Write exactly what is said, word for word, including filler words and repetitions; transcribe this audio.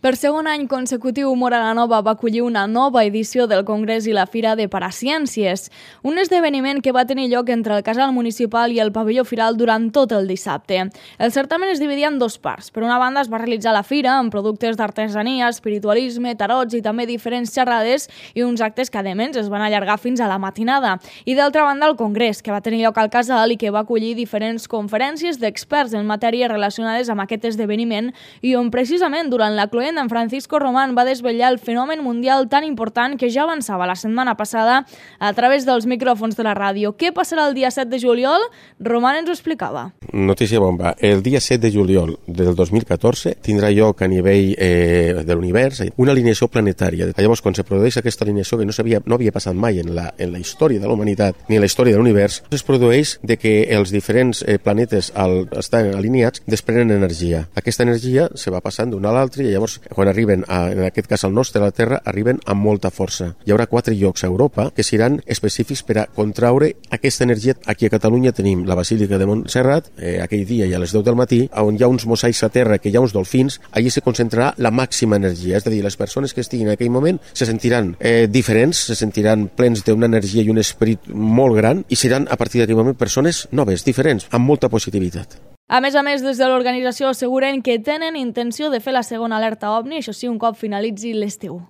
Per segon any consecutiu, Móra la Nova va acollir una nova edició del Congrés i la Fira de Paraciències, un esdeveniment que va tenir lloc entre el Casal Municipal i el Pavelló Firal durant tot el dissabte. El certamen es dividia en dos parts. Per una banda es va realitzar la fira amb productes d'artesania, espiritualisme, tarots i també diferents xerrades i uns actes que, a més, es van allargar fins a la matinada. I d'altra banda, el Congrés, que va tenir lloc al Casal i que va acollir diferents conferències d'experts en matèries relacionades amb aquest esdeveniment i on precisament durant la cloenda en Francisco Román va desvetllar el fenomen mundial tan important que ja avançava la setmana passada a través dels micròfons de la ràdio. Què passarà el dia set de juliol? Román ens ho explicava. Notícia bomba. El dia set de juliol del dos mil catorze tindrà lloc a nivell eh, de l'univers una alineació planetària. Llavors, quan se produeix aquesta alineació que no, sabia, no havia passat mai en la, en la història de la humanitat ni en la història de l'univers, es produeix de que els diferents eh, planetes al estar alineats desprenen energia. Aquesta energia se va passant d'un a l'altre i llavors quan arriben, a, en aquest cas al nostre, a la Terra, arriben amb molta força. Hi haurà quatre llocs a Europa que seran específics per a contraure aquesta energia. Aquí a Catalunya tenim la Basílica de Montserrat, eh, aquell dia i a les deu del matí, on hi ha uns mosaics a terra, que hi ha uns dolfins, allí se concentrarà la màxima energia. És a dir, les persones que estiguin en aquell moment se sentiran eh, diferents, se sentiran plens d'una energia i un esperit molt gran i seran a partir d'aquell moment persones noves, diferents, amb molta positivitat. A més a més, des de l'organització asseguren que tenen intenció de fer la segona alerta OVNI, això sí, un cop finalitzi l'estiu.